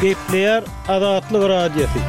Gepleýär Azatlyk Radiosy.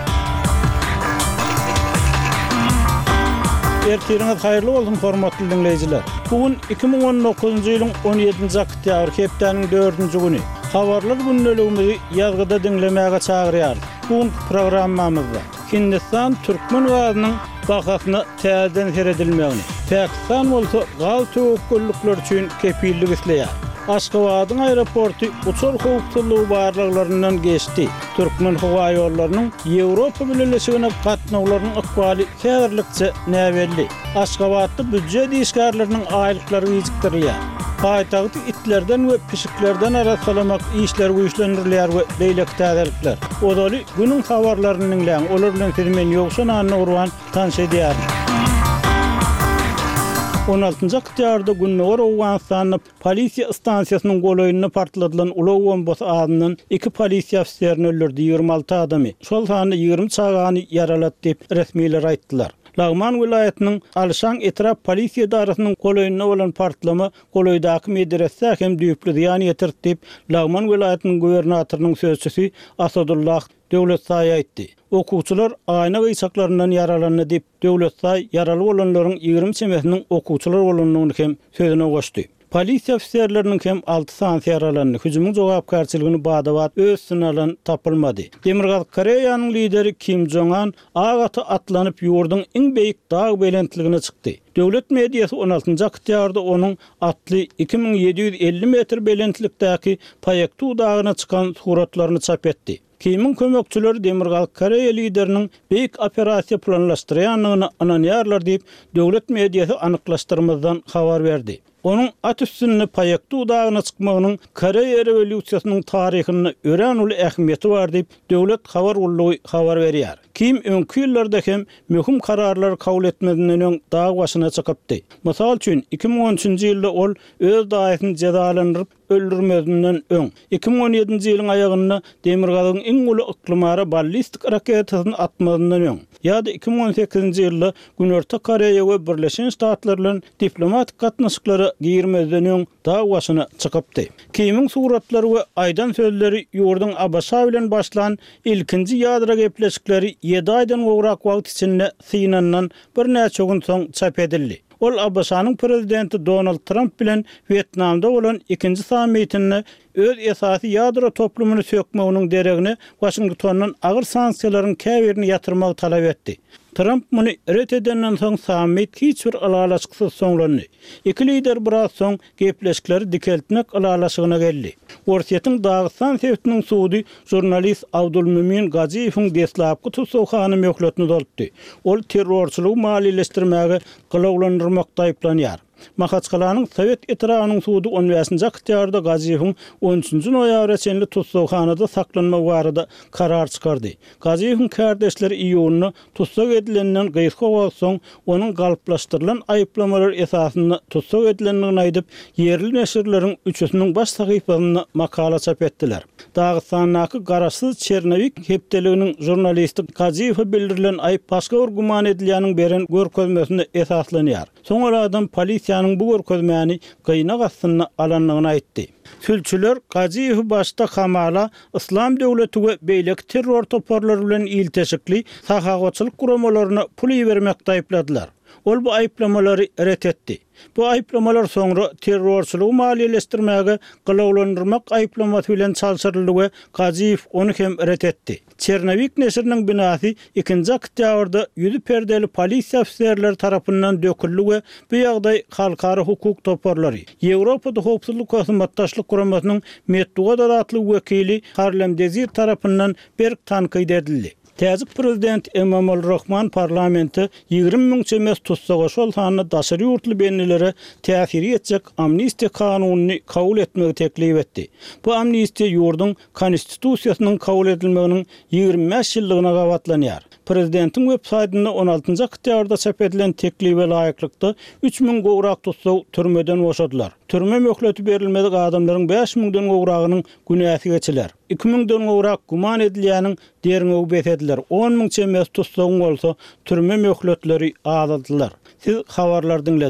Ertiriňiz haýyrly bolsun, hormatly diňleýjiler! Bu gün 2019-njy ýylyň 17-nji oktýabry, hepdäniň dördünji güni. Habarlar gündeligimizi ýazgyda diňlemäge çagyrýarys. Bu günki programmamyzda Hindistan türkmen gazynyň bahasyna täzeden seredilmegini, Pakistan bolsa gaz töwekgellikleri üçin kepillik isleýär. Aşgabadyň aeroporty uçar howpsuzlygy barlaglaryndan geçdi. Türkmenhowaýollarynyň Ýewropa Bileleşigine gatnawlarynyň ykbaly häzirlikçe näbelli. Aşgabatda býujet işgärleriniň aýlyklary gijikdirilýär. Paýtagty itlerden we pişiklerden arassalamak işleri güýçlendirilýär we beýleki täzelikler. Ozaly günüň habarlaryny diňläň, olar bilen sizi men Ýowşan Annagurban tanyş edýärin. On altynjy oktýabrda Gündogar Owganystanda polisiýa stansiýasynyň golaýynda partladylan ulag bombasy azyndan iki polisiýa ofiserini öldürdi, 26 adamy, şol sanda 20 çagany ýaralady diýip, resmiler aýtdylar. Lagman welaýatynyň Alşan etrap polisiýa edarasynyň golaýynda bolan partlama golaýdaky medresä hem düýpli zyýan ýetirdi diýip, Lagman welaýatynyň gubernatorynyň sözçüsi Asadullah Döwletsaý aýtdy. Okuwçylar aýna gyýçaklaryndan ýaralandy diýip, Döwletsaý ýaraly bolanlaryň 20 çemesiniň okuwçylar bolandygyny hem sözüne goşdy. Polisiýa ofiserleriniň hem alty sanysy ýaralandy, hüjümiň jogapkärçiligini bada-bat öz üstüne alan tapylmady. Demirgazyk Koreýanyň lideri Kim Jong An ak ata atlanyp ýurduň iň beýik dag belentligine çykdy. Döwlet mediasy on altynjy oktýabrda onuň atly 2750 metr belentlikdäki Paektu dagyna çykan suratlaryny çap etdi. Kimiň kömekçileri Demirgazyk Koreýa lideriniň beýik operasiýa planlaşdyrýandygyna ynanýarlar diýip, döwlet mediasy anyklaşdyrmazdan habar berdi. Onuň at üstünde Paektu dagyna çykmagynyň Koreýa rewolýusiýasynyň taryhynda örän uly ähmiýeti bar diýip, döwlet habar gullugy habar berýär. Kim öňki ýyllarda hem möhüm kararlary kabul etmezinden öň dag başyna çykypdy. Mysal üçin, 2013-nji ýylda ol öz daýysyny jezalandyryp, öldürmezinden öň, 2017-nji ýylyň aýagynda Demirgazygyň iň uly yklymara ballistik raketasyny atmazyndan öň, ýa-da 2018-nji ýylda Günorta Koreýa we Birleşen Ştatlar bilen diplomatik gatnaşyklara girmezden öň dag başyna çykypdy. Kimiň suratlary we aýdan sözleri ýurduň ABŞ bilen başlan ilkinji ýadro gepleşikleri ýedi aýdan gowrak wagt içinde synandan birnäçe gün soň çap edildi. Ol ABŞ-nyň prezidenti Donald Tramp bilen Wýetnamda bolan ikinji sammitinde öz esasy ýadro toplumyny sökmeginiň deregine Waşingtondan agyr sanksiýalaryň käbirini ýatyrmagy talap etdi. Tramp muny ret edenden soň sammit hiç bir ylalaşyksyz soňlandy. Iki lider biraz soň gepleşikleri dikeltmek ylalaşygyna geldi. Orsýetiň Dagystan sebitiniň sudy žurnalist Abdulmümin Gajiýewiň deslapky tussaghana möhletini uzaltdy. Ol terrorçylygy maliýeleşdirmäge gylawlandyrmakda aýyplanýar. Mahaçgalanyň Sowet etrabynyň sudy on bäşinji oktýabrda Gajiýewiň on üçünji noýabra çenli tussaghanada saklanmagy barada karar çykardy. Gajiýewiň kärdeşleri iýunda Tussag edilenden gysga wagt soň, onuň galplaşdyrylan aýyplamalar esasynda tussag edilendigini aýdyp, ýerli neşirleriň üçüsiniň baş sahypasynda makala çap etdiler. Dagystandaky garaşsyz Çernowik hepdeliginiň žurnalisti Gajiýewe bildirilen aýyp başga bir güman edilýäniň beren görkezmesine esaslanýar. Soň ol adam polisiýanyň bu görkezmäni gynag astynda alandygyny aýtdy. Sülçüler Gajiýewi başda hamala Yslam döwleti we beýleki terror toparlary bilen ilteşikli sahawatçylyk guramalaryna pul ibermekde aýypladylar. Ol bu aýyplamalary ret etdi. Bu aýyplamalar soňra terrorçylygy maliýeleşdirmäge gylawlandyrmak aýyplamasy bilen çalşyryldy we Gajiýew ony hem ret etdi. Çernowik neşiriniň binasy ikinji oktýabrda ýüzi perdeli polisiýa ofiserleri tarapyndan döküldi we bu ýagdaý halkara hukuk toparlary, Ýewropada Howpsuzlyk we Hyzmatdaşlyk Guramasynyň metbugat azatlygy wekili Harlem Dezir tarapyndan berk tankyt edildi. Täjik prezidenti Emomali Rahman parlamente 20 müň çemesi tussaga, şol sanda daşary ýurtly bendilere täsiri ýetjek amnistiýa kanunyny kabul etmegi teklip etdi. Bu amnistiýa ýurduň Konstitusiýasynyň kabul edilmeginiň 25 ýyllygyna gabatlanýar. Prezidentiň web saýtynda on altynjy oktýabrda çap edilen teklibe laýyklykda, 3000 gowrak tussag türmeden boşadylar. Türme möhleti berilmedik adamlaryň bäş müňden gowragynyň günäsi geçiler. Iki müňden gowrak güman edilýäniň derňewi bes ediler, on müň çemesi tussagyň bolsa türme möhletleri azaldylar. Siz habarlary diňlediňiz.